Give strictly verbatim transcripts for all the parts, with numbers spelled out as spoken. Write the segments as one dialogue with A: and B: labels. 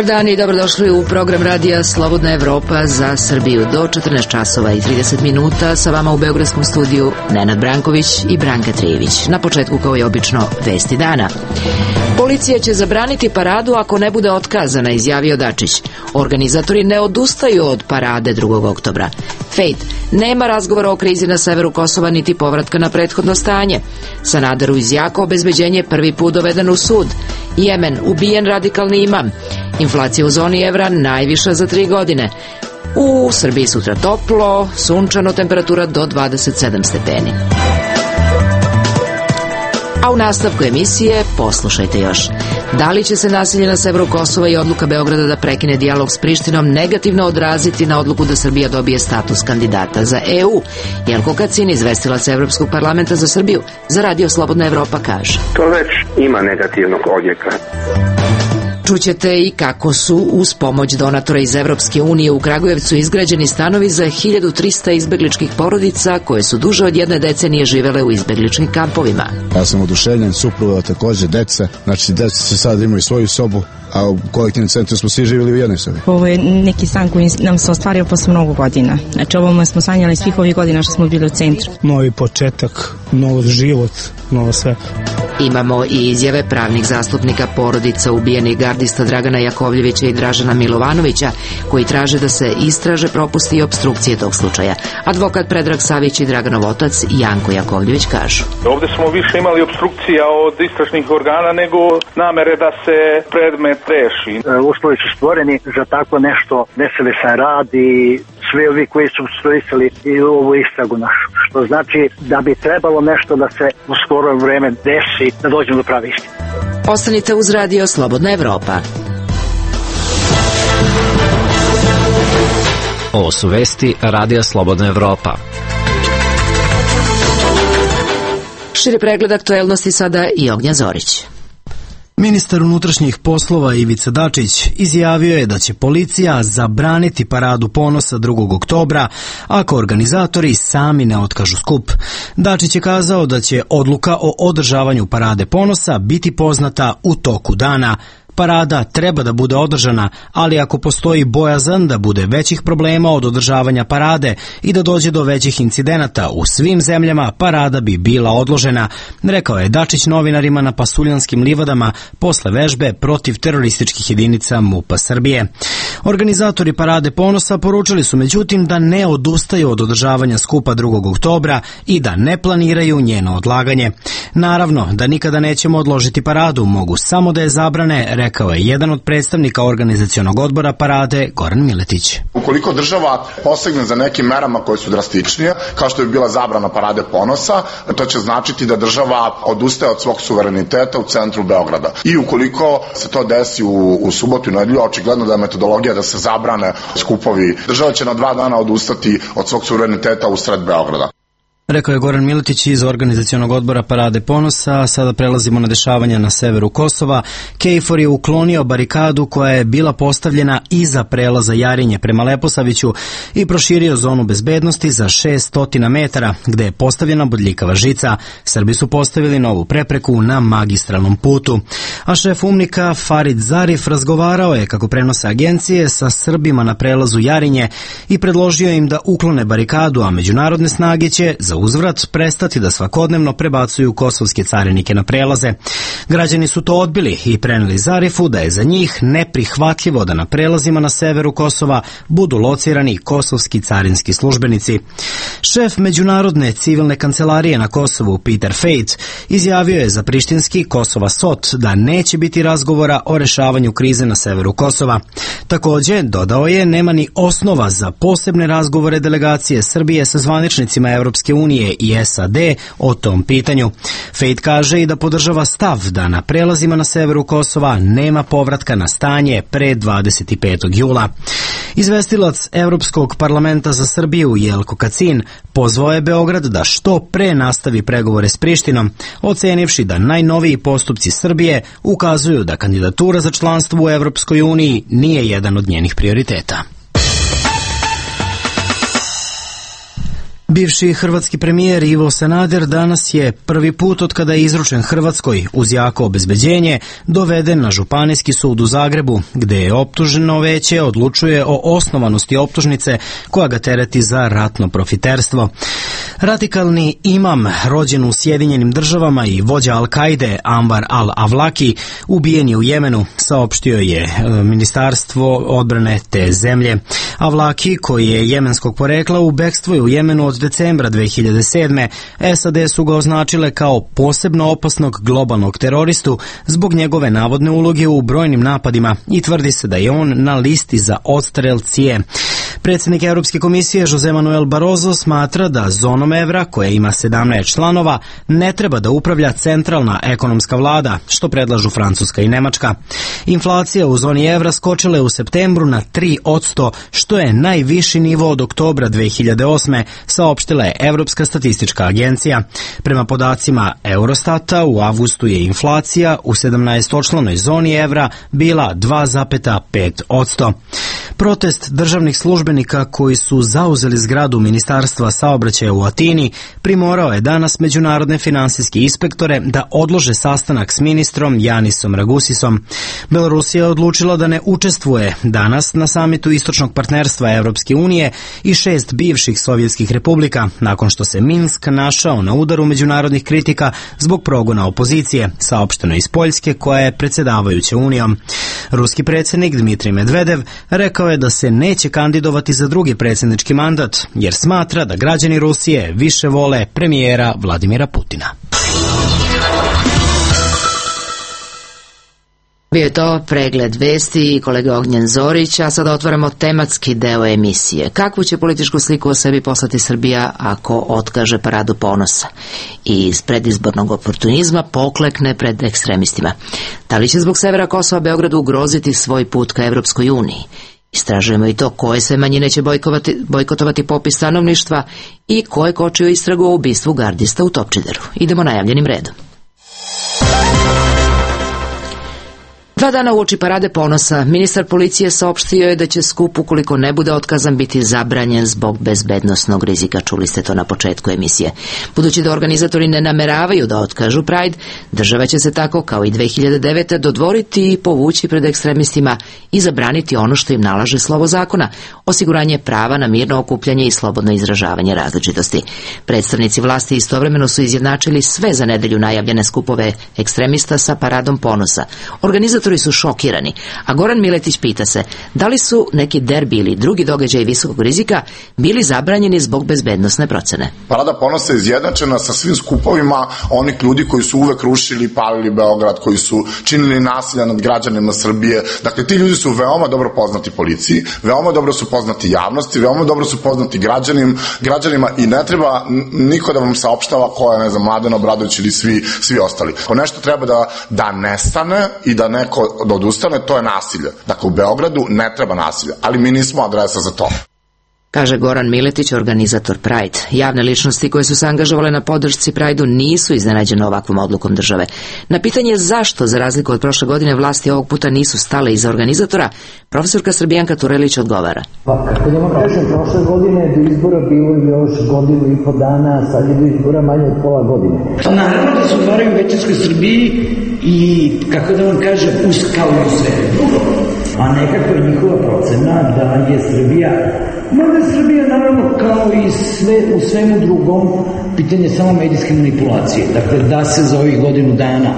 A: Dobar dan i dobrodošli u program radija Slobodna Evropa za Srbiju do četrnaest časova i trideset minuta. Sa vama u beogradskom studiju Nenad Branković i Branka Trijević. Na početku, kao i obično, vesti dana. Policija će zabraniti paradu ako ne bude otkazana, izjavio Dačić. Organizatori ne odustaju od parade drugog oktobra. Fejt, nema razgovora o krizi na severu Kosova niti povratka na prethodno stanje. Sanaderu iz Jako obezbeđenje prvi put doveden u sud. Jemen, ubijen radikalni imam. Inflacija u zoni evra najviša za tri godine. U Srbiji sutra toplo, sunčano, temperatura do dvadeset sedam stepeni. A u nastavku emisije poslušajte još. Da li će se nasilje na severu Kosova i odluka Beograda da prekine dijalog s Prištinom negativno odraziti na odluku da Srbija dobije status kandidata za E U? Jelko Kacin, izvestilac Evropskog parlamenta za Srbiju, za Radio Slobodna Evropa kaže.
B: To već ima negativnog odjeka.
A: Čućete i kako su uz pomoć donatora iz Evropske unije u Kragujevcu izgrađeni stanovi za hiljadu trista izbegličkih porodica koje su duže od jedne decenije živele u izbegličkim kampovima.
C: Ja sam oduševljen, supruga takođe, deca, znači deca se sad imaju svoju sobu, a u kolektivnom centru smo svi živjeli u jednoj sobi.
D: Ovo je neki san koji nam se ostvario posle mnogo godina. Znači ovo smo sanjali svih ovih godina što smo bili u centru.
E: Novi početak, nov život, novo sve.
A: Imamo i izjave pravnih zastupnika porodica ubijenih gardista Dragana Jakovljevića i Dražana Milovanovića, koji traže da se istraže propusti i opstrukcije tog slučaja. Advokat Predrag Savić i Draganov otac Janko Jakovljević kažu.
F: Ovde smo više imali opstrukcija od istražnih organa nego namere da se predmet reši.
G: Uslovi su stvoreni za tako nešto, nesavestan rad i svi ovi koji su obstruisali i ovu istragu našu. Što znači da bi trebalo nešto da se u skoro vreme desi, da dođemo do prave istine.
A: Ostanite uz Radio Slobodna Evropa.
H: Ovo su vesti Radija Slobodna Evropa.
A: Širi pregled aktuelnosti sada i Ognja Zorić.
I: Ministar unutrašnjih poslova Ivica Dačić izjavio je da će policija zabraniti paradu ponosa drugog oktobra ako organizatori sami ne otkažu skup. Dačić je kazao da će odluka o održavanju parade ponosa biti poznata u toku dana. Parada treba da bude održana, ali ako postoji bojazan da bude većih problema od održavanja parade i da dođe do većih incidenata u svim zemljama, parada bi bila odložena, rekao je Dačić novinarima na Pasuljanskim livadama posle vežbe protiv terorističkih jedinica MUP-a Srbije. Organizatori parade ponosa poručili su međutim da ne odustaju od održavanja skupa drugog oktobra i da ne planiraju njeno odlaganje. Naravno da nikada nećemo odložiti paradu, mogu samo da je zabrane, rekao je jedan od predstavnika organizacionog odbora parade, Goran Miletić.
J: Ukoliko država posegne za nekim merama koje su drastičnije, kao što je bila zabrana parade ponosa, to će značiti da država odustaje od svog suvereniteta u centru Beograda. I ukoliko se to desi u, u subotu i nedelju, očigledno da je metodologija da se zabrane skupovi, država će na dva dana odustati od svog suvereniteta u sred Beograda.
I: Rekao je Goran Miletić iz organizacionog odbora parade ponosa. Sada prelazimo na dešavanja na severu Kosova. KFOR je uklonio barikadu koja je bila postavljena iza prelaza Jarinje prema Leposaviću i proširio zonu bezbednosti za šessto metara, gde je postavljena bodljikava žica. Srbi su postavili novu prepreku na magistralnom putu. A šef umnika Farid Zarif razgovarao je, kako prenose agencije, sa Srbima na prelazu Jarinje i predložio im da uklone barikadu, a međunarodne snage će za uzvrat prestati da svakodnevno prebacuju kosovske carinike na prelaze. Građani su to odbili i preneli Zarifu da je za njih neprihvatljivo da na prelazima na severu Kosova budu locirani kosovski carinski službenici. Šef Međunarodne civilne kancelarije na Kosovu, Peter Fejt, izjavio je za prištinski Kosova Sot da neće biti razgovora o rešavanju krize na severu Kosova. Takođe, dodao je, nema ni osnova za posebne razgovore delegacije Srbije sa zvaničnicima Evropske unije i S A D o tom pitanju. Fejt kaže i da podržava stav da na prelazima na severu Kosova nema povratka na stanje pre dvadeset petog jula. Izvestilac Evropskog parlamenta za Srbiju Jelko Kacin pozvao je Beograd da što pre nastavi pregovore s Prištinom, ocenivši da najnoviji postupci Srbije ukazuju da kandidatura za članstvo u Evropskoj uniji nije jedan od njenih prioriteta. Bivši hrvatski premijer Ivo Sanader danas je prvi put od kada je izručen Hrvatskoj uz jako obezbeđenje doveden na Županijski sud u Zagrebu, gde je optuženo veće odlučuje o osnovanosti optužnice koja ga tereti za ratno profiterstvo. Radikalni imam, rođen u Sjedinjenim državama i vođa Al-Kaide Anwar al-Awlaki, ubijen je u Jemenu, saopštio je Ministarstvo odbrane te zemlje. Awlaki, koji je jemenskog porekla, u bekstvu je u Jemenu od decembra dve hiljade sedme. S A D su ga označile kao posebno opasnog globalnog teroristu zbog njegove navodne uloge u brojnim napadima i tvrdi se da je on na listi za odstrel C I E. Predsjednik Europske komisije Jose Manuel Barroso smatra da zonom evra, koja ima sedamnaest članova, ne treba da upravlja centralna ekonomska vlada, što predlažu Francuska i Nemačka. Inflacija u zoni evra skočila je u septembru na tri posto, što je najviši nivo od oktobra dve hiljade osme, saopštila je Evropska statistička agencija. Prema podacima Eurostata, u avgustu je inflacija u sedamnaestočlanoj zoni evra bila dva zarez pet posto. Protest državnih službenika koji su zauzeli zgradu Ministarstva saobraćaja u Atini primorao je danas međunarodne finansijske inspektore da odlože sastanak s ministrom Janisom Ragusisom. Belorusija je odlučila da ne učestvuje danas na samitu istočnog partnerstva Evropske unije i šest bivših sovjetskih republika, nakon što se Minsk našao na udaru međunarodnih kritika zbog progona opozicije, saopšteno iz Poljske koja je predsjedavajuća unijom. Ruski predsjednik Dmitrij Medvedev rekao je da se neće kandidovati za drugi predsjednički mandat, jer smatra da građani Rusije više vole premijera Vladimira Putina.
A: Bio je to pregled vesti i kolega Ognjen Zorić, a sada otvaramo tematski deo emisije. Kakvu će političku sliku o sebi poslati Srbija ako otkaže paradu ponosa i iz predizbornog oportunizma poklekne pred ekstremistima? Da li će zbog severa Kosova Beogradu ugroziti svoj put ka Evropskoj uniji? Istražujemo i to koje sve manjine će bojkotovati popis stanovništva i ko je kočio istragu o ubistvu gardista u Topčideru. Idemo najavljenim redom. Dva dana uoči parade ponosa, ministar policije saopštio je da će skup, ukoliko ne bude otkazan, biti zabranjen zbog bezbednosnog rizika. Čuli ste to na početku emisije. Budući da organizatori ne nameravaju da otkažu Pride, država će se tako, kao i dve hiljade devete. dodvoriti i povući pred ekstremistima i zabraniti ono što im nalaže slovo zakona, osiguranje prava na mirno okupljanje i slobodno izražavanje različitosti. Predstavnici vlasti istovremeno su izjednačili sve za nedelju najavljene skupove ekstremista sa paradom ponosa. Organizatori su šokirani, a Goran Miletić pita se da li su neki derbi ili drugi događaji visokog rizika bili zabranjeni zbog bezbednosne procene.
J: Parada ponosa je izjednačena sa svim skupovima onih ljudi koji su uvek rušili i palili Beograd, koji su činili nasilja nad građanima Srbije. Dakle, ti ljudi su veoma dobro poznati policiji, veoma dobro su poznati javnosti, veoma dobro su poznati građanim, građanima i ne treba niko da vam saopštava ko je, ne znam, Mladen Obradović ili svi, svi ostali. Ako nešto treba da, da nestane i da neko da odustane, to je nasilje. Dakle, u Beogradu ne treba nasilja, ali mi nismo adresa za to.
A: Kaže Goran Miletić, organizator Pride. Javne ličnosti koje su se angažovale na podršci Pride-u nisu iznenađene ovakvom odlukom države. Na pitanje zašto, za razliku od prošle godine, vlasti ovog puta nisu stale iza organizatora, profesorka Srbijanka Turelić odgovara.
K: Pa, kako da vam kažem, prošle godine do izbora bilo još godinu i po dana, sad je do izbora manje od pola godine.
L: Naravno da se otvaraju u većinskoj Srbiji i, kako da vam kažem, uz kao i sve drugo. A nekako je njihova procena da je Srbija, možda je Srbija naravno kao i sve, u svemu drugom, pitanje samo medijske manipulacije. Dakle, da se za ovih godinu dana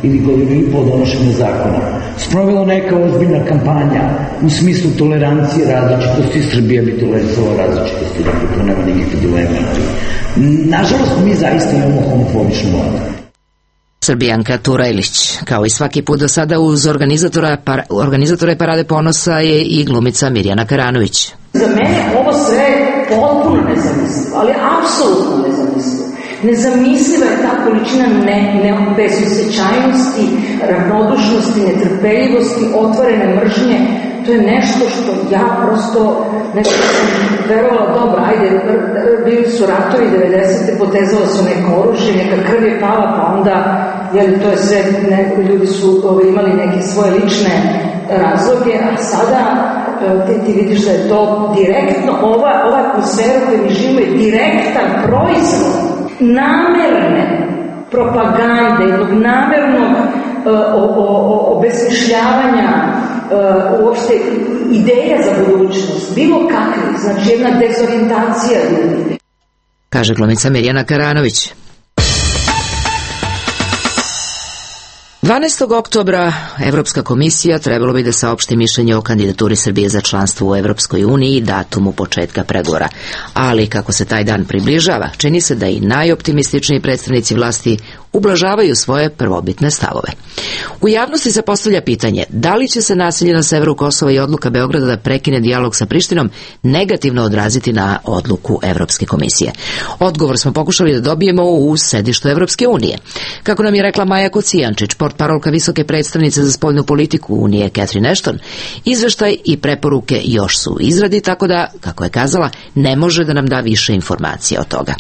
L: ili godinu i po donošenja zakona sprovela neka ozbiljna kampanja u smislu tolerancije različitosti, Srbija bi tolerisala različitosti, dakle to nema nikakve dileme. Nažalost, mi zaista imamo homofobičnu vladu.
A: Srbijanka Turelić. Kao i svaki put do sada, uz organizatora, par, organizatora parade ponosa je i glumica Mirjana Karanović.
M: Za mene ovo sve potpuno nezamislivo, ali apsolutno nezamislivo. Nezamisliva je ta količina ne, ne, bezosjećajnosti, ravnodušnosti, netrpeljivosti, otvorene mržnje. To je nešto što ja prosto nešto sam verovala, dobro, ajde, bili su ratovi devedesete, potezalo su neko oružje, neka krv je pala, pa onda, jel, to je sve, ne, ljudi su ove, imali neke svoje lične razloge, a sada ti, ti vidiš da je to direktno, ova, ova atmosfera koju mi živimo je direktan proizvod namerne propagande, jednog namernog o, o, o, obesmišljavanja uh, uopšte ideja za budućnost, bilo kakvi, znači jedna dezorijentacija ljudi.
A: Kaže glumica Mirjana Karanović. dvanaestog oktobra Evropska komisija trebalo bi da saopšti mišljenje o kandidaturi Srbije za članstvo u Evropskoj uniji i datumu početka pregovora. Ali kako se taj dan približava, čini se da i najoptimističniji predstavnici vlasti ublažavaju svoje prvobitne stavove. U javnosti se postavlja pitanje da li će se nasilje na severu Kosova i odluka Beograda da prekine dijalog sa Prištinom negativno odraziti na odluku Evropske komisije. Odgovor smo pokušali da dobijemo u sedištu Evropske unije. Kako nam je rekla Maja Kocijančić, portparolka visoke predstavnice za spoljnu politiku Unije Catherine Ashton, izveštaj i preporuke još su u izradi, tako da, kako je kazala, ne može da nam da više informacija od toga.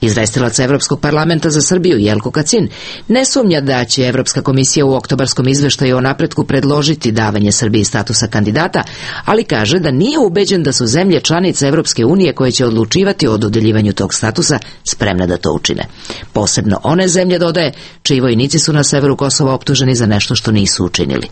A: Izvestilac Evropskog parlamenta za Srbiju Jelko Kacin ne sumnja da će Evropska komisija u oktobarskom izveštaju o napretku predložiti davanje Srbiji statusa kandidata, ali kaže da nije ubeđen da su zemlje članice Evropske unije koje će odlučivati o dodeljivanju tog statusa spremne da to učine. Posebno one zemlje, dodaje, čiji vojnici su na severu Kosova optuženi za nešto što nisu učinili.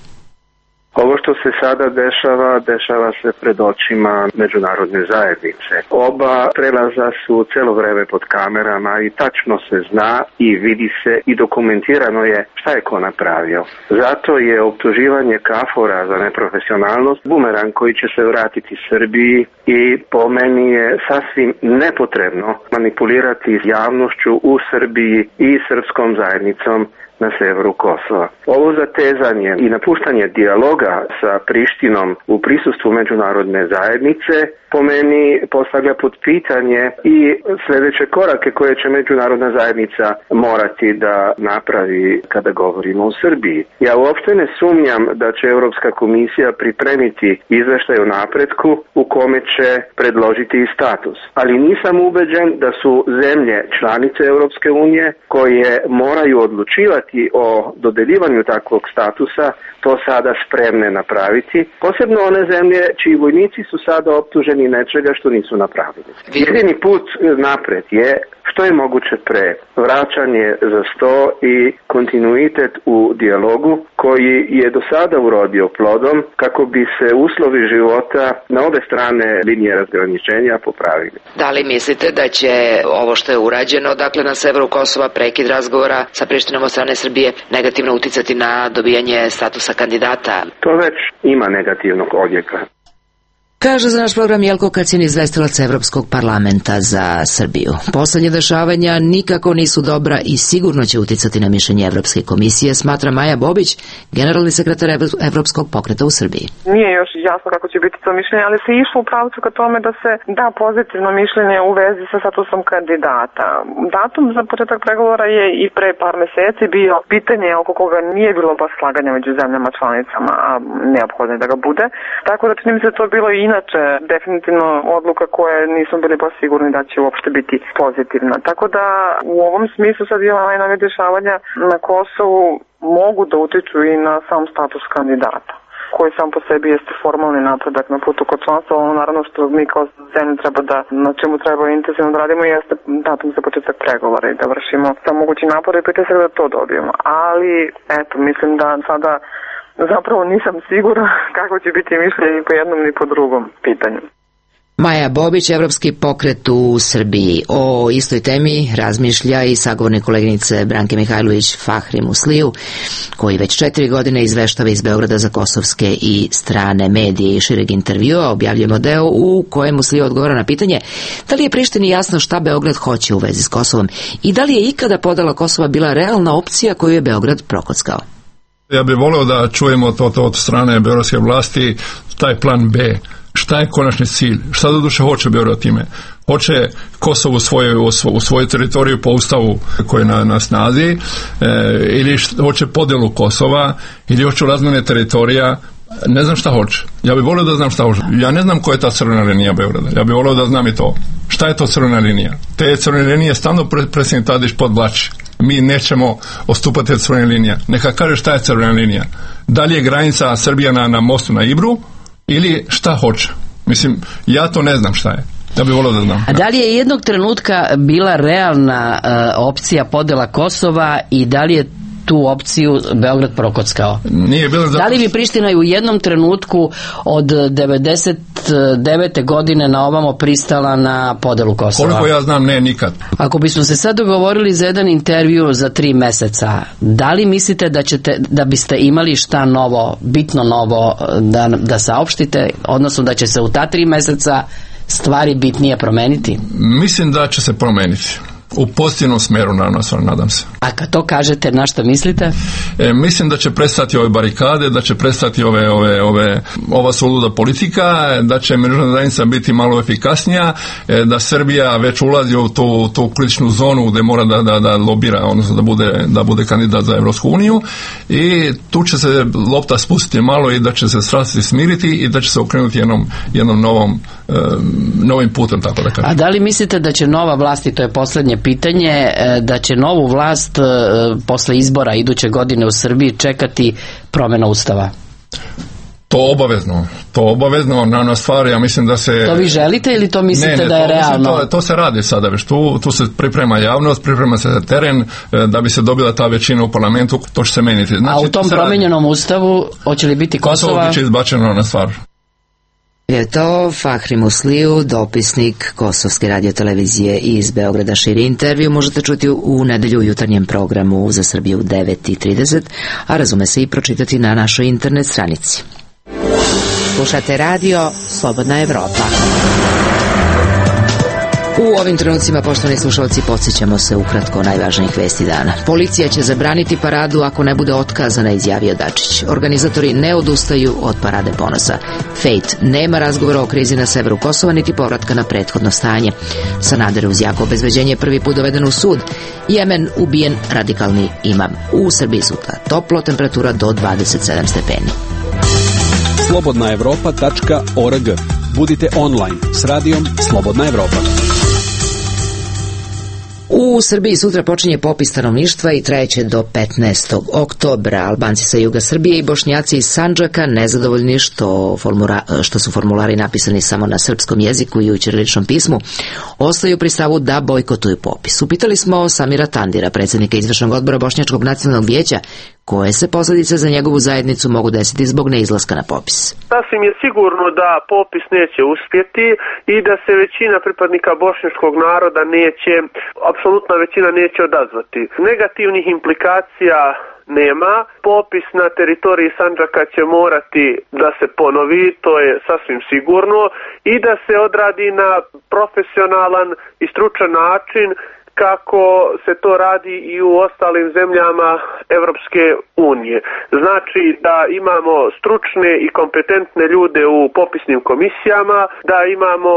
B: Ovo što se sada dešava, dešava se pred očima međunarodne zajednice. Oba prelaza su celo vreme pod kamerama i tačno se zna i vidi se i dokumentirano je šta je ko napravio. Zato je optuživanje KFOR-a za neprofesionalnost bumerang koji će se vratiti Srbiji i po meni je sasvim nepotrebno manipulirati s javnošću u Srbiji i srpskom zajednicom na severu Kosova. Ovo zatezanje i napuštanje dijaloga sa Prištinom u prisustvu međunarodne zajednice po meni postavlja pod pitanje i sljedeće korake koje će međunarodna zajednica morati da napravi kada govorimo o Srbiji. Ja uopšte ne sumnjam da će Europska komisija pripremiti izveštaj o napretku u kome će predložiti i status. Ali nisam ubeđen da su zemlje članice Europske unije koje moraju odlučivati o dodeljivanju takvog statusa to sada spremne napraviti. Posebno one zemlje čiji vojnici su sada optuženi nečega što nisu napravili. Jedini put napred je što je moguće pre vraćanje za sto i kontinuitet u dijalogu koji je do sada urodio plodom kako bi se uslovi života na obe strane linije razgraničenja popravili.
A: Da li mislite da će ovo što je urađeno, dakle na severu Kosova, prekid razgovora sa Prištinom od strane Srbije, negativno uticati na dobijanje statusa kandidata?
B: To već ima negativnog odjeka.
A: Kaže za naš program Jelko Kacin, izvestilac Evropskog parlamenta za Srbiju. Poslednje dešavanja nikako nisu dobra i sigurno će uticati na mišljenje Evropske komisije, smatra Maja Bobić, generalni sekretar Evropskog pokreta u Srbiji.
N: Nije još jasno kako će biti to mišljenje, ali se išlo u pravcu ka tome da se da pozitivno mišljenje u vezi sa statusom kandidata. Datum za početak pregovora je i pre par meseci bio pitanje oko koga nije bilo baš slaganja među zemljama članicama, a neophodno je da ga bude. Tako da čini mi se to bilo i inače definitivno odluka koja nismo bili baš sigurni da će uopšte biti pozitivna. Tako da u ovom smislu sad je najnovije dešavanja na Kosovu mogu da utiču i na sam status kandidata, koji sam po sebi jeste formalni napredak na putu kod članstva. Ono naravno što mi kao zemlja treba da, na čemu treba intenzivno da radimo jeste datum za početak pregovora i da vršimo sa mogući napor i pritisak da to dobijemo. Ali, eto, mislim da sada zapravo nisam sigurna kako će biti mišljenje ni po jednom ni po drugom pitanju.
A: Maja Bobić, Evropski pokret u Srbiji. O istoj temi razmišlja i sagovornik koleginice Branke Mihajlović Fahri Musliju, koji već četiri godine izveštava iz Beograda za kosovske i strane medije i šireg intervjua. Objavljujemo deo u kojem Musliju odgovara na pitanje da li je Prištini jasno šta Beograd hoće u vezi s Kosovom i da li je ikada podela Kosova bila realna opcija koju je Beograd prokockao.
O: Ja bih voleo da čujemo to, to od strane beogradske vlasti, taj plan B. Šta je konačni cilj? Šta do duše hoće Beograd time? Hoće Kosovo u svoju, u svoju teritoriju po ustavu koji je na, na snazi, e, ili šta, hoće podelu Kosova, ili hoće razmjene teritorija. Ne znam šta hoće. Ja bih volio da znam šta hoće. Ja ne znam koja je ta crvena linija Beograda. Ja bih volio da znam i to. Šta je to crvena linija? Te crvene linije stalno predsjednik Tadić podvlači. Mi nećemo ostupati od crvene linije. Neka kaže šta je crvena linija. Da li je granica Srbija na, na mostu na Ibru ili šta hoće. Mislim, ja to ne znam šta je. Ja bih volio da znam.
P: A da li je jednog trenutka bila realna uh, opcija podela Kosova i da li je tu opciju Beograd prokockao?
O: Nije bilo zato...
P: Da li bi Priština u jednom trenutku od devedeset devete godine na ovamo pristala na podelu Kosova?
O: Koliko ja znam, ne, nikad.
P: Ako bismo se sad dogovorili za jedan intervju za tri meseca, da li mislite da ćete, da biste imali šta novo, bitno novo da, da saopštite, odnosno da će se u ta tri meseca stvari bitnije promeniti?
O: Mislim da će se promeniti. U pozitivnom smeru, naravno, nadam se.
P: A kad to kažete, na što mislite?
O: E, mislim da će prestati ove barikade, da će prestati ove, ove, ove, ova suluda politika, da će međunarodna zajednica biti malo efikasnija, e, da Srbija već ulazi u tu, tu kritičnu zonu gde mora da, da, da lobira, odnosno da bude, da bude kandidat za Evropsku uniju, i tu će se lopta spustiti malo i da će se strasti smiriti i da će se okrenuti jednom, jednom novom, e, novim putem, tako da kažem.
P: A da li mislite da će nova vlast, i to je poslednje pitanje, da će novu vlast posle izbora iduće godine u Srbiji čekati promjena ustava?
O: To obavezno, to obavezno, na stvar, ja mislim da se...
P: To vi želite ili to mislite
O: ne, ne,
P: da je
O: to,
P: realno?
O: Mislim, to, to se radi sada već, tu, tu se priprema javnost, priprema se teren, da bi se dobila ta većina u parlamentu, to će se meniti. Znači,
P: a u tom promenjenom ustavu hoće li biti Kosova?
O: Kosovo biće izbačeno na stvar.
A: Je to Fahri Musliju, dopisnik Kosovske radiotelevizije iz Beograda. Širi intervju možete čuti u nedelju u jutarnjem programu Za Srbiju u devet i trideset, a razume se i pročitati na našoj internet stranici. Slušate radio Slobodna Evropa. U ovim trenucima, poštovani slušalci, podsjećamo se ukratko najvažnijih vesti dana. Policija će zabraniti paradu ako ne bude otkazana, izjavio Dačić. Organizatori ne odustaju od parade ponosa. Fejt nema razgovora o krizi na severu Kosova niti povratka na prethodno stanje. Sanader uz jako obezbeđenje prvi put doveden u sud. Jemen ubijen radikalni imam. U Srbiji sutra toplo, temperatura do dvadeset sedam stepeni.
Q: slobodna evropa tačka org. Budite online s radijom Slobodna Evropa.
A: U Srbiji sutra počinje popis stanovništva i trajeće do petnaestog oktobra. Albanci sa juga Srbije i Bošnjaci iz Sandžaka nezadovoljni što, formula, što su formulari napisani samo na srpskom jeziku i u ćiriličnom pismu, ostaju pri stavu da bojkotuju popis. Upitali smo Samira Tandira, predsjednika izvršnog odbora Bošnjačkog nacionalnog vijeća, koje se posljedice za njegovu zajednicu mogu desiti zbog neizlaska na popis.
R: Sasvim je sigurno da popis neće uspjeti i da se većina pripadnika bošnjačkog naroda neće, apsolutna većina neće odazvati. Negativnih implikacija nema. Popis na teritoriji Sandžaka će morati da se ponovi, to je sasvim sigurno, i da se odradi na profesionalan i stručan način kako se to radi i u ostalim zemljama Evropske unije. Znači da imamo stručne i kompetentne ljude u popisnim komisijama, da imamo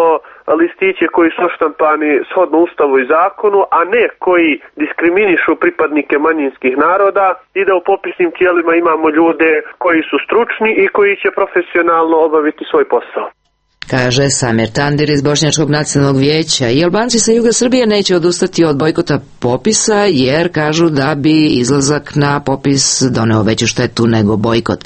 R: listiće koji su oštampani shodno Ustavu i zakonu, a ne koji diskriminišu pripadnike manjinskih naroda, i da u popisnim tijelima imamo ljude koji su stručni i koji će profesionalno obaviti svoj posao.
A: Kaže Samir Tandir iz Bošnjačkog nacionalnog vijeća. I Albanci sa juga Srbije neće odustati od bojkota popisa, jer kažu da bi izlazak na popis doneo veću štetu nego bojkot.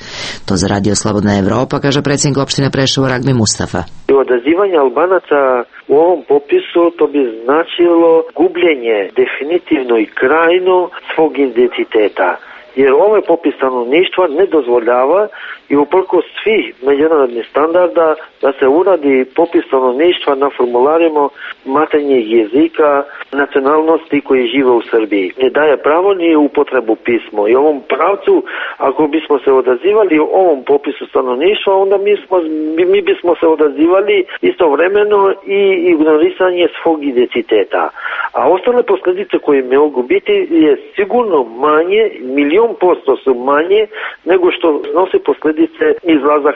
A: To za radio Slobodna Evropa, kaže predsjednik opštine Preševo Ragmi Mustafa.
S: Odazivanje Albanaca u ovom popisu to bi značilo gubljenje definitivno i krajno svog identiteta. Jer ovaj popis stanovništva ne dozvoljava i uprkos svih međunarodnih standarda da se uradi popis stanovništva na formularima maternjeg jezika nacionalnosti koji žive u Srbiji. Ne daje pravo ni upotrebu pismo. I ovom pravcu, ako bismo se odazivali u ovom popisu stanovništva, onda mi, smo, mi bismo se odazivali istovremeno i ignorisanje svog identiteta. A ostale posljedice koje mogu biti je sigurno manje, milion posto su manje nego što nosi posljedice izlazak.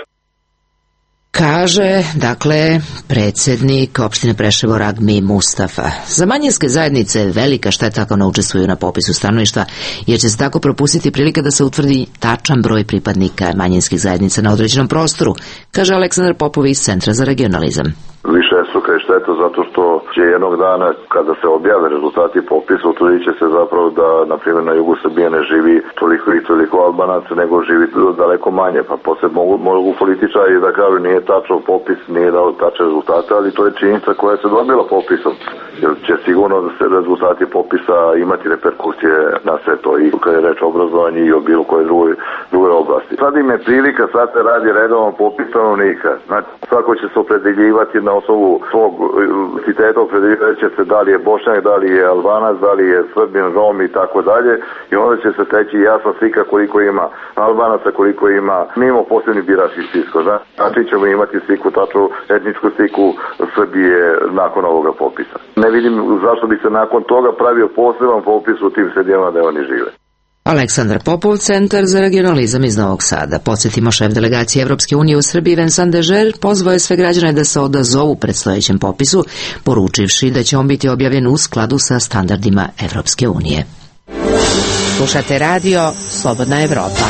A: Kaže, dakle, predsjednik opštine Preševo Ragmi Mustafa. Za manjinske zajednice velika šteta ako ne učestvuju na popisu stanovništva, jer će se tako propustiti prilika da se utvrdi tačan broj pripadnika manjinskih zajednica na određenom prostoru, kaže Aleksandar Popović iz Centra za regionalizam.
T: višestruka je šteta zato što će jednog dana kada se objave rezultati popisa utvrdit će se zapravo da na primjer na jugu Srbije ne živi toliko i toliko Albanaca nego živi daleko manje, pa posle mogu, mogu političari da kažu nije tačno popis, nije dao tačne rezultate, ali to je činjenica koja se dobila popisom, jer će sigurno da se rezultati popisa imati reperkusije na sve to i kada je reč o obrazovanju i o bilo koje drugoj, drugoj oblasti. Sad im je prilika, sad se radi redovan popis stanovnika, znači svako će se opredeljivati na osnovu svog identiteta, opredeljivati će se da li je Bošnjak, da li je Albanac, da li je Srbin, Rom i tako dalje i onda će se teći jasna slika koliko ima Albanaca, koliko ima mimo posebnih biračkih spiskova. Znači ćemo imati sliku, tačnu etničku sliku Srbije nakon ovoga popisa. Ne vidim zašto bi se nakon toga pravio poseban popis u tim sredinama da oni žive.
A: Aleksandar Popov, Centar za regionalizam iz Novog Sada. Podsjetimo, šef delegacije Evropske unije u Srbiji Vincent Dežer pozvao je sve građane da se odazovu predstojećem popisu, poručivši da će on biti objavljen u skladu sa standardima Evropske unije. Slušate radio Slobodna Evropa.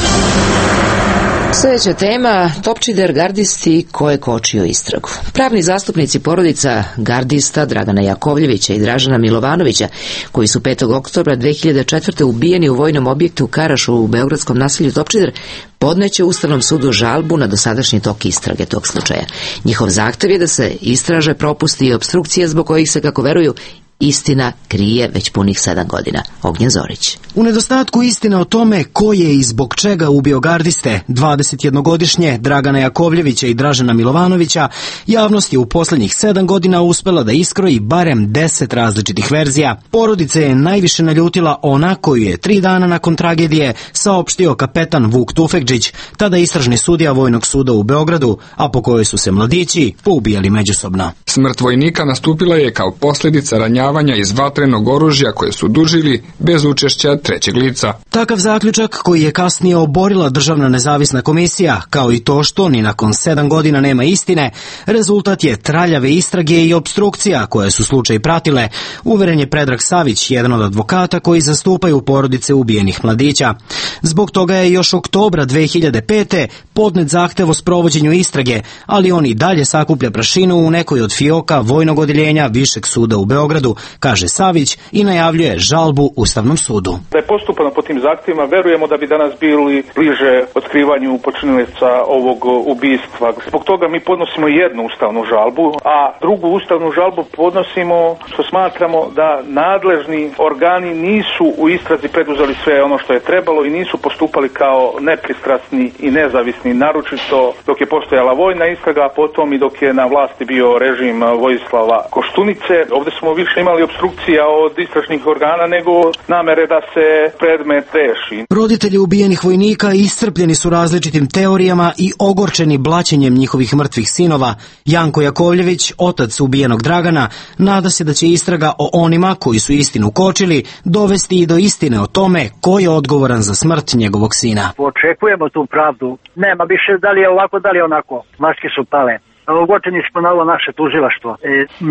A: Sljedeća tema, Topčider gardisti ko je kočio istragu. Pravni zastupnici porodica gardista Dragana Jakovljevića i Dražana Milovanovića, koji su petog oktobra dve hiljade četvrte ubijeni u vojnom objektu Karaš u beogradskom naselju Topčider, podneće Ustavnom sudu žalbu na dosadašnji tok istrage tog slučaja. Njihov zahtev je da se istraže propusti i opstrukcije zbog kojih se, kako veruju, istina krije već punih sedam godina. Ognjen Zorić.
I: U nedostatku istine o tome ko je i zbog čega ubio gardiste, dvadesetjednogodišnje Dragana Jakovljevića i Dražana Milovanovića, javnost je u posljednjih sedam godina uspela da iskroji barem deset različitih verzija. Porodice je najviše naljutila ona koju je tri dana nakon tragedije saopštio kapetan Vuk Tufekđić, tada istražni sudija Vojnog suda u Beogradu, a po kojoj su se mladići poubijali međusobno.
U: Smrt vojnika nastupila je kao posljedica ranjavanja iz vatrenog oružja koje su dužili bez učešća trećeg lica.
I: Takav zaključak koji je kasnije oborila Državna nezavisna komisija, kao i to što ni nakon sedam godina nema istine, rezultat je traljave istrage i opstrukcija koje su slučaj pratile, uveren je Predrag Savić, jedan od advokata koji zastupaju porodice ubijenih mladića. Zbog toga je još oktobra dve hiljade pete podnet zahtev o sprovođenju istrage, ali on i dalje sakuplja prašinu u nekoj od fioka vojnog odeljenja Višeg suda u Beogradu, kaže Savić i najavljuje žalbu Ustavnom sudu.
F: Da je postupano po tim zahtjevima, verujemo da bi danas bili bliže otkrivanju počinioca ovog ubistva. Zbog toga mi podnosimo jednu ustavnu žalbu, a drugu ustavnu žalbu podnosimo što smatramo da nadležni organi nisu u istrazi preduzeli sve ono što je trebalo i nisu postupali kao nepristrasni i nezavisni, naročito dok je postojala vojna istraga, a potom i dok je na vlasti bio režim Vojislava Koštunice. Ovdje smo više imali opstrukcija od istražnih organa nego namere da se predmet reši.
I: Roditelji ubijenih vojnika iscrpljeni su različitim teorijama i ogorčeni blaćenjem njihovih mrtvih sinova. Janko Jakovljević, otac ubijenog Dragana, nada se da će istraga o onima koji su istinu kočili dovesti i do istine o tome ko je odgovoran za smrt njegovog sina.
G: Očekujemo tu pravdu. Nema više da li je ovako, da li je onako. Maske su pale. Ogorčeni smo na ovo naše tužilaštvo. E,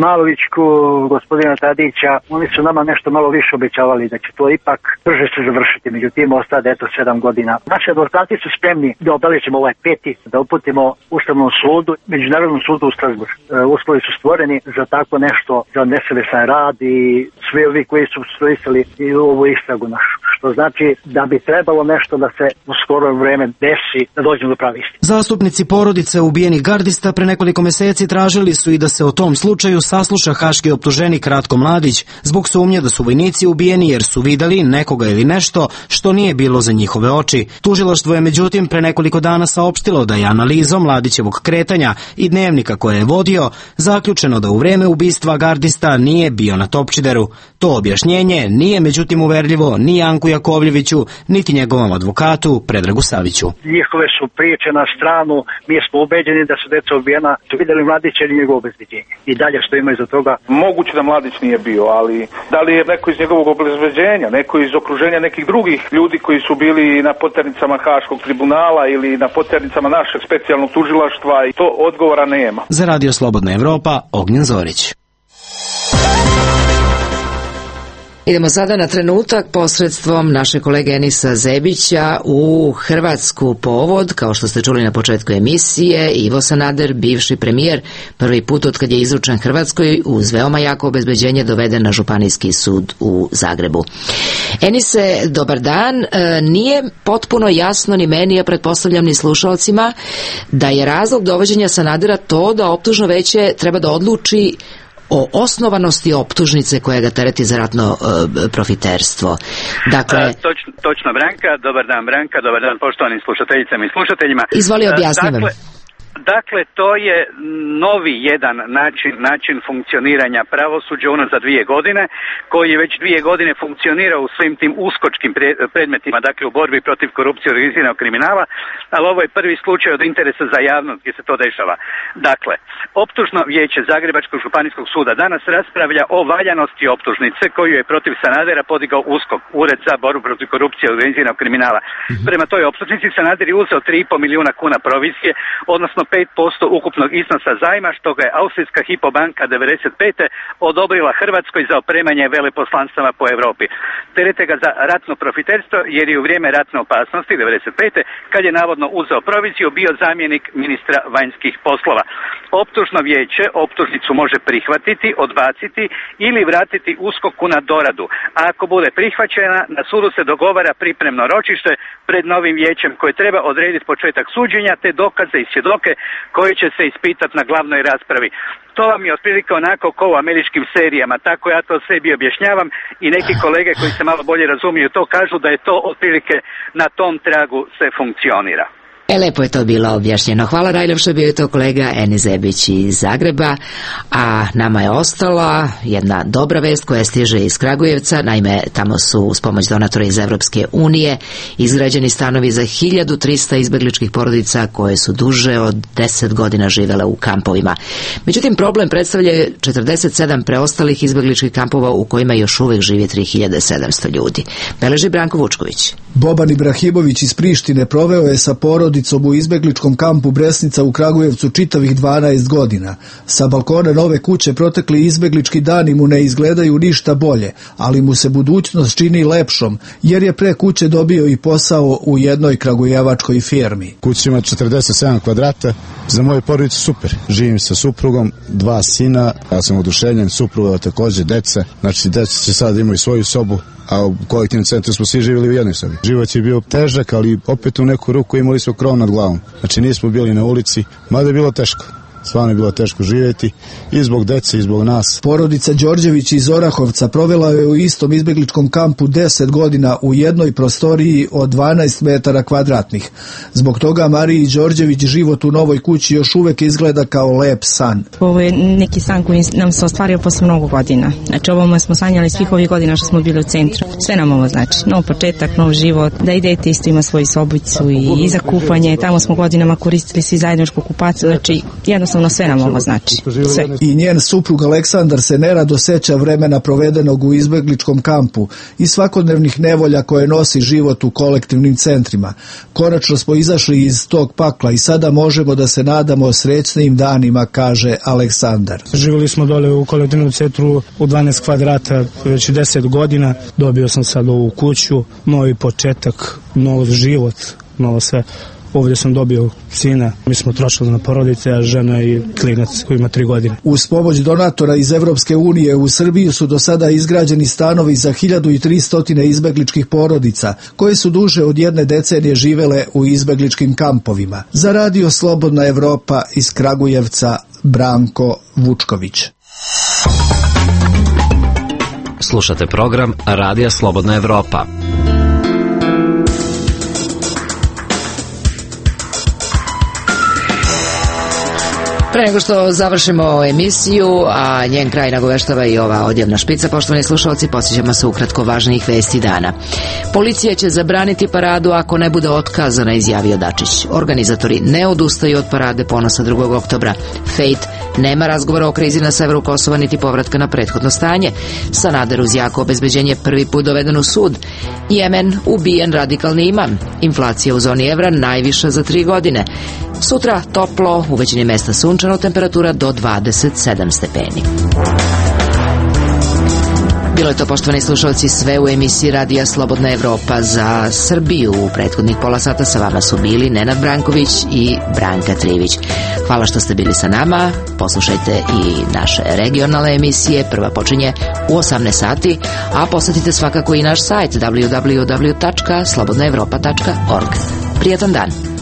G: Malovićku, gospodina Tadića, oni su nama nešto malo više obećavali da će to ipak brže se završiti. Međutim, ostade eto sedam godina. Naši advokati su spremni da obeležimo ovaj peti, da uputimo Ustavnom sudu, Međunarodnom sudu u Strasbourg. E, uslovi su stvoreni za tako nešto, za nesavesan rad i svi ovi koji su stroisali i ovu istragu našu. Što znači da bi trebalo nešto da se u skoro vreme desi, da dođemo do prave istine.
I: Zastupnici porodice ubijenih gardista pre nekoliko meseci tražili su i da se o tom slučaju sasluša haški optuženik Ratko Mladić zbog sumnje da su vojnici ubijeni jer su videli nekoga ili nešto što nije bilo za njihove oči. Tužilaštvo je međutim pre nekoliko dana saopštilo da je analizom Mladićevog kretanja i dnevnika koje je vodio zaključeno da u vreme ubistva gardista nije bio na Topčideru. To objašnjenje nije međutim uverljivo ni Janku Jakovljeviću, niti njegovom advokatu Predragu Saviću.
G: Njihove su priče na stranu, mi smo ubeđeni da su deca ubijena, su vidjeli Mladića ili njegovo obezbeđenje. I dalje što ima iza toga.
F: Moguće da Mladić nije bio, ali da li je neko iz njegovog obezbeđenja, neko iz okruženja nekih drugih ljudi koji su bili na poternicama Haškog tribunala ili na poternicama našeg specijalnog tužilaštva, i to odgovora nema.
I: Za Radio Slobodna Evropa, Ognjen Zorić.
A: Idemo sada na trenutak posredstvom naše kolege Enisa Zebića u Hrvatsku povod, kao što ste čuli na početku emisije. Ivo Sanader, bivši premijer, prvi put od kad je izručen Hrvatskoj uz veoma jako obezbeđenje doveden na Županijski sud u Zagrebu. Enise, dobar dan. E, nije potpuno jasno ni meni, a pretpostavljam ni slušalcima, da je razlog dovođenja Sanadera to da optužno veće treba da odluči o osnovanosti optužnice koja ga tereti za ratno e, profiterstvo. Dakle,
C: A, točno, točno Branka, dobar dan Branka, dobar dan poštovanim slušateljicama i slušateljima.
A: Izvoli, objasni vam.
C: Dakle, Dakle, to je novi jedan način, način funkcioniranja pravosuđa unazad dvije godine, koji je već dvije godine funkcionira u svim tim uskočkim predmetima, dakle u borbi protiv korupcije i organiziranog kriminala, ali ovo je prvi slučaj od interesa za javnost gdje se to dešava. Dakle, optužno vijeće Zagrebačkog županijskog suda danas raspravlja o valjanosti optužnice koju je protiv Sanadera podigao USKOK, Ured za borbu protiv korupcije i organiziranog kriminala. Mm-hmm. Prema toj optužnici Sanader je uzeo tri i pol milijuna kuna provizije, odnosno pet posto ukupnog iznosa zajma, što ga je austrijska Hypo banka devedeset pete odobrila Hrvatskoj za opremanje veleposlanstava po Europi. Terete ga za ratno profiterstvo jer je u vrijeme ratne opasnosti devedeset pete kad je navodno uzeo proviziju bio zamjenik ministra vanjskih poslova. Optužno vijeće optužnicu može prihvatiti, odbaciti ili vratiti USKOK-u na doradu. A ako bude prihvaćena, na sudu se dogovara pripremno ročište pred novim vijećem koje treba odrediti početak suđenja te dokaze i svjedoke koji će se ispitati na glavnoj raspravi. To vam je otprilike onako kao u američkim serijama, tako ja to sebi objašnjavam i neki kolege koji se malo bolje razumiju to kažu da je to otprilike na tom tragu se funkcionira.
A: E, lepo je to bilo objašnjeno. Hvala najljepše, bio je to kolega Enis Zebić iz Zagreba, a nama je ostala jedna dobra vest koja stiže iz Kragujevca. Naime, tamo su uz pomoć donatora iz Evropske unije izgrađeni stanovi za hiljadu trista izbegličkih porodica koje su duže od deset godina živele u kampovima. Međutim, problem predstavlja četrdeset sedam preostalih izbegličkih kampova u kojima još uvek živi tri hiljade sedamsto ljudi. Beleži Branko Vučković.
V: Boban Ibrahimović iz Prištine proveo je sa porodicom u izbegličkom kampu Bresnica u Kragujevcu čitavih dvanaest godina. Sa balkona nove kuće protekli izbeglički dani mu ne izgledaju ništa bolje, ali mu se budućnost čini lepšom, jer je pre kuće dobio i posao u jednoj kragujevačkoj firmi.
W: Kuća ima četrdeset sedam kvadrata, za moju porodicu super. Živim sa suprugom, dva sina, ja sam oduševljen, supruga također, deca, znači deca će sad imaju svoju sobu, a u kolektivnom centru smo svi živjeli u jednoj sobi. Život je bio težak, ali opet u neku ruku imali smo krov nad glavom. Znači nismo bili na ulici, mada je bilo teško. Stvarno je bilo teško živjeti i zbog dece i zbog nas.
V: Porodica Đorđević iz Orahovca provela je u istom izbegličkom kampu deset godina u jednoj prostoriji od dvanaest metara kvadratnih. Zbog toga Mariji Đorđević život u novoj kući još uvek izgleda kao lep san.
D: Ovo je neki san koji nam se ostvario posle mnogo godina. Znači ovo smo sanjali svih ovih godina što smo bili u centru. Sve nam ovo znači. Nov početak, nov život, da i dete isto ima svoju sobicu i, i za kupanje. Tamo smo godinama koristili svi zajedničku kupaciju. Znači jednostavno sve nam ovo znači. Sve.
V: I njen suprug Aleksandar se nerado seća vremena provedenog u izbegličkom kampu i svakodnevnih nevolja koje nosi život u kolektivnim centrima. Konačno smo izašli iz tog pakla i sada možemo da se nadamo srećnim danima, kaže Aleksandar.
E: Živjeli smo dole u kolektivnom centru u dvanaest kvadrata već deset godina. Dobio sam sad ovu kuću, novi početak, nov život, novo sve. Ovdje sam dobio sina, mi smo trošili na porodice, a žena i klinac koji ima tri godine.
V: Uz pomoć donatora iz Evropske unije u Srbiji su do sada izgrađeni stanovi za hiljadu tristo izbegličkih porodica, koje su duže od jedne decenije živele u izbegličkim kampovima. Za Radio Slobodna Evropa iz Kragujevca, Branko Vučković.
H: Slušate program Radija Slobodna Evropa.
A: Pre nego što završimo emisiju, a njen kraj nagoveštava i ova odjavna špica, poštovani slušalci, podsjećamo se ukratko važnijih vesti dana. Policija će zabraniti paradu ako ne bude otkazana, izjavio Dačić. Organizatori ne odustaju od parade Ponosa drugog oktobra. Fejt, nema razgovora o krizi na severu Kosova niti povratka na prethodno stanje. Sanader uz jako obezbeđenje prvi put doveden u sud. Jemen, ubijen radikalni imam. Inflacija u zoni evra najviša za tri godine. Sutra toplo, u većini mesta sunčano, temperatura do dvadeset sedam stepeni. Bilo je to, poštovani slušalci, sve u emisiji Radija Slobodna Evropa za Srbiju. U prethodnih pola sata sa vama su bili Nenad Branković i Branka Trivić. Hvala što ste bili sa nama. Poslušajte i naše regionalne emisije. Prva počinje u osamnaest sati, a posjetite svakako i naš sajt w w w tačka slobodna evropa tačka org. Prijatan dan.